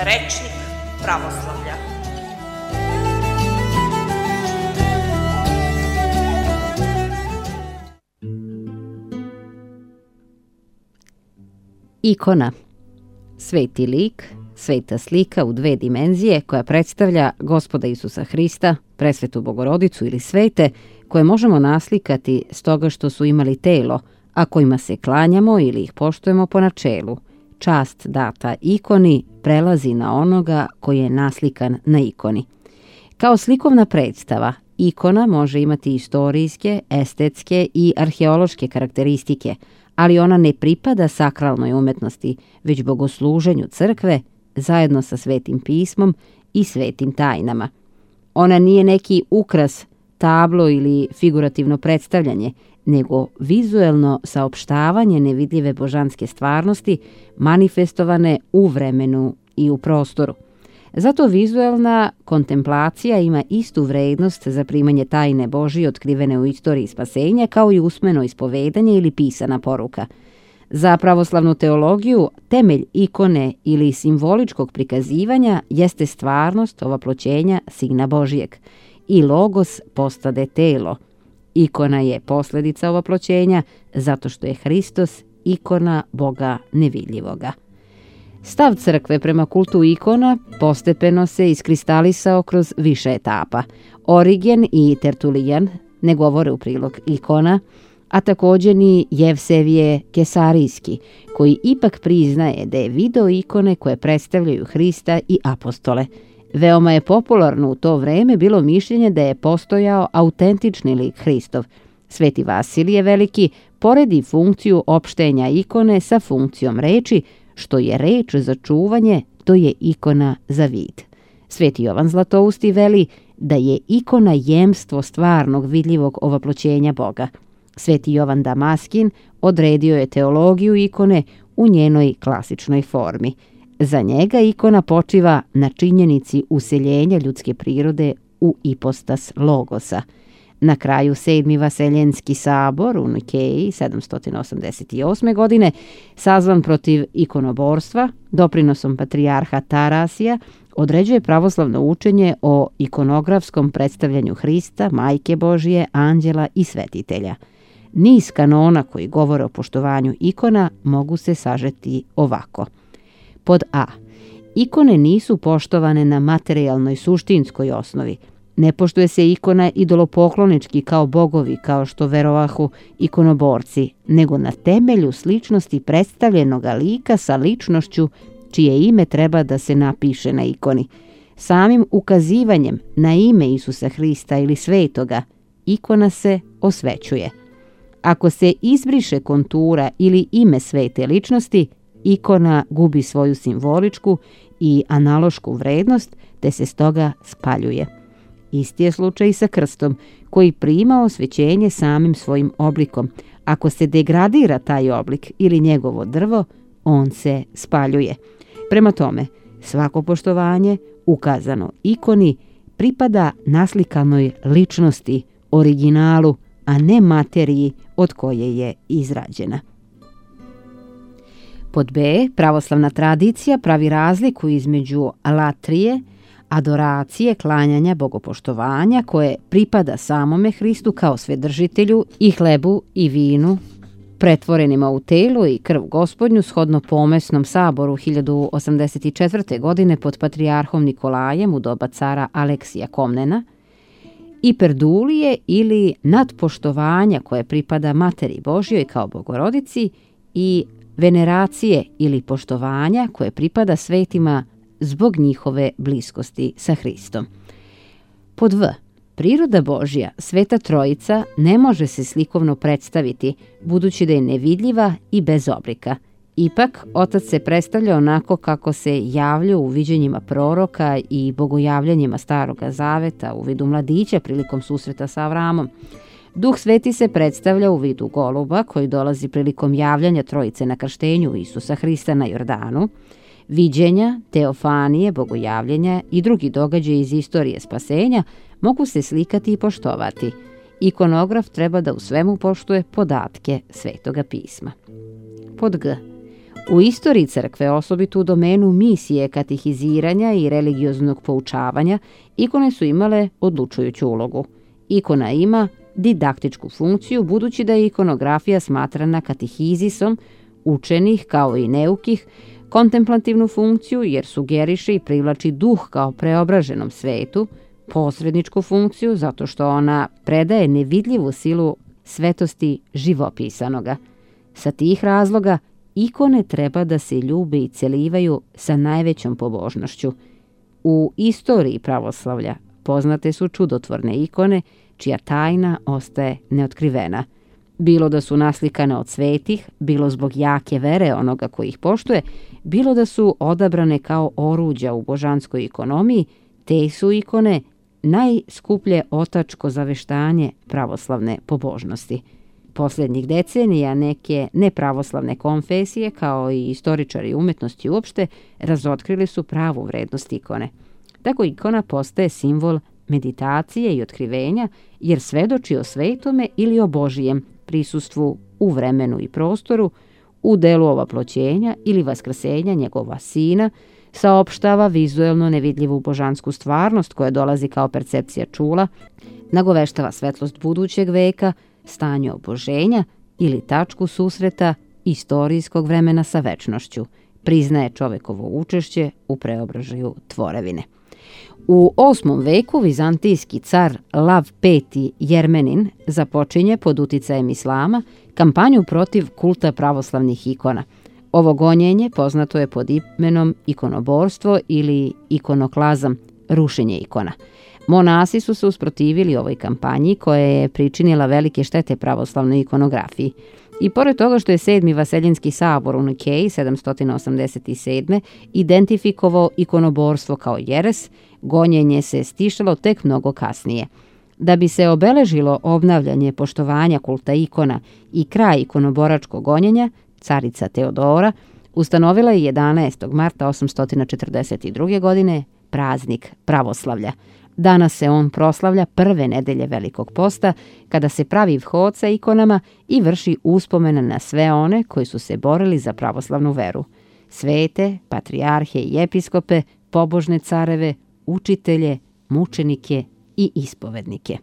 Rečnik pravoslavlja. Ikona. Sveti lik, sveta slika u dve dimenzije koja predstavlja Gospoda Isusa Hrista, presvetu Bogorodicu ili svete, koje možemo naslikati stoga što su imali telo, a kojima se klanjamo ili ih poštujemo po načelu. Čast data ikoni prelazi na onoga koji je naslikan na ikoni. Kao slikovna predstava, ikona može imati istorijske, estetske i arheološke karakteristike, ali ona ne pripada sakralnoj umetnosti, već bogosluženju crkve zajedno sa svetim pismom i svetim tajnama. Ona nije neki ukras, tablo ili figurativno predstavljanje, nego vizuelno saopštavanje nevidljive božanske stvarnosti manifestovane u vremenu i u prostoru. Zato vizuelna kontemplacija ima istu vrednost za primanje tajne Božije otkrivene u istoriji spasenja kao i usmeno ispovedanje ili pisana poruka. Za pravoslavnu teologiju temelj ikone ili simboličkog prikazivanja jeste stvarnost ovaploćenja Sina Božijeg i logos postade telo. Ikona je posljedica ovaploćenja zato što je Hristos ikona Boga nevidljivoga. Stav crkve prema kultu ikona postepeno se iskristalisao kroz više etapa. Origen i Tertulijan ne govore u prilog ikona, a također ni Jevsevije Kesarijski, koji ipak priznaje da je video ikone koje predstavljaju Hrista i apostole. Veoma je popularno u to vreme bilo mišljenje da je postojao autentični lik Hristov. Sveti Vasilije Veliki poredi funkciju opštenja ikone sa funkcijom reči, što je reč za čuvanje, to je ikona za vid. Sveti Jovan Zlatousti veli da je ikona jemstvo stvarnog vidljivog ovaploćenja Boga. Sveti Jovan Damaskin odredio je teologiju ikone u njenoj klasičnoj formi. Za njega ikona počiva na činjenici useljenja ljudske prirode u ipostas logosa. Na kraju 7. Vaseljenski sabor u Nikeji 788. godine, sazvan protiv ikonoborstva, doprinosom patrijarha Tarasija, određuje pravoslavno učenje o ikonografskom predstavljanju Hrista, Majke Božije, anđela i svetitelja. Niz kanona koji govore o poštovanju ikona mogu se sažeti ovako. Pod A. Ikone nisu poštovane na materijalnoj suštinskoj osnovi. Ne poštuje se ikona idolopoklonički kao bogovi, kao što verovahu ikonoborci, nego na temelju sličnosti predstavljenog lika sa ličnošću čije ime treba da se napiše na ikoni. Samim ukazivanjem na ime Isusa Hrista ili svetoga, ikona se osvećuje. Ako se izbriše kontura ili ime svete ličnosti, ikona gubi svoju simboličku i analošku vrednost, te se stoga spaljuje. Isti je slučaj i sa krstom, koji prima osvećenje samim svojim oblikom. Ako se degradira taj oblik ili njegovo drvo, on se spaljuje. Prema tome, svako poštovanje ukazano ikoni pripada naslikanoj ličnosti, originalu, a ne materiji od koje je izrađena. Pod B, pravoslavna tradicija pravi razliku između latrije, adoracije, klanjanja, bogopoštovanja koje pripada samome Hristu kao svedržitelju i hlebu i vinu, pretvorenima u telo i krv Gospodnju shodno pomesnom saboru 1084. godine pod patrijarhom Nikolajem u doba cara Aleksija Komnena, i perdulije ili nadpoštovanja koje pripada Materi Božjoj kao Bogorodici i veneracije ili poštovanja koje pripada svetima zbog njihove bliskosti sa Hristom. Pod V. Priroda Božja, Sveta Trojica, ne može se slikovno predstaviti, budući da je nevidljiva i bez oblika. Ipak, Otac se predstavlja onako kako se javlja u viđenjima proroka i bogojavljanjima Staroga Zaveta u vidu mladića prilikom susreta sa Avramom. Duh Sveti se predstavlja u vidu goluba koji dolazi prilikom javljanja Trojice na krštenju Isusa Hrista na Jordanu. Viđenja, teofanije, bogojavljenja i drugi događaji iz istorije spasenja mogu se slikati i poštovati. Ikonograf treba da u svemu poštuje podatke Svetoga pisma. Pod G. U istoriji crkve, osobito u domenu misije katehiziranja i religioznog poučavanja, ikone su imale odlučujuću ulogu. Ikona ima didaktičku funkciju, budući da je ikonografija smatrana katehizisom učenih kao i neukih, kontemplativnu funkciju jer sugeriše i privlači duh kao preobraženom svetu, posredničku funkciju zato što ona predaje nevidljivu silu svetosti živopisanoga. Sa tih razloga ikone treba da se ljube i celivaju sa najvećom pobožnošću. U istoriji pravoslavlja poznate su čudotvorne ikone čija tajna ostaje neotkrivena. Bilo da su naslikane od svetih, bilo zbog jake vere onoga koji ih poštuje, bilo da su odabrane kao oruđa u božanskoj ikonomiji, te su ikone najskuplje otačko zaveštanje pravoslavne pobožnosti. Posljednjih decenija neke nepravoslavne konfesije, kao i istoričari umetnosti uopšte, razotkrili su pravu vrednost ikone. Tako ikona postaje simbol meditacije i otkrivenja, jer svedoči o svetome ili o Božijem prisustvu u vremenu i prostoru, u delu ovaploćenja ili vaskrsenja njegova sina, saopštava vizuelno nevidljivu božansku stvarnost koja dolazi kao percepcija čula, nagoveštava svetlost budućeg veka, stanje oboženja ili tačku susreta istorijskog vremena sa večnošću, priznaje čovekovo učešće u preobražaju tvorevine. U 8. veku vizantijski car Lav V. Jermenin započinje pod uticajem islama kampanju protiv kulta pravoslavnih ikona. Ovo gonjenje poznato je pod imenom ikonoborstvo ili ikonoklazam, rušenje ikona. Monasi su se usprotivili ovoj kampanji koja je pričinila velike štete pravoslavnoj ikonografiji. I pored toga što je 7. Vaseljenski sabor u Nikeji 787. identifikovao ikonoborstvo kao jeres, gonjenje se stišalo tek mnogo kasnije. Da bi se obeležilo obnavljanje poštovanja kulta ikona i kraj ikonoboračkog gonjenja, carica Teodora ustanovila je 11. marta 842. godine praznik pravoslavlja. Danas se on proslavlja prve nedelje Velikog posta, kada se pravi vhod sa ikonama i vrši uspomena na sve one koji su se borili za pravoslavnu veru. Svete, patrijarhe i episkope, pobožne careve, učitelje, mučenike i ispovednike.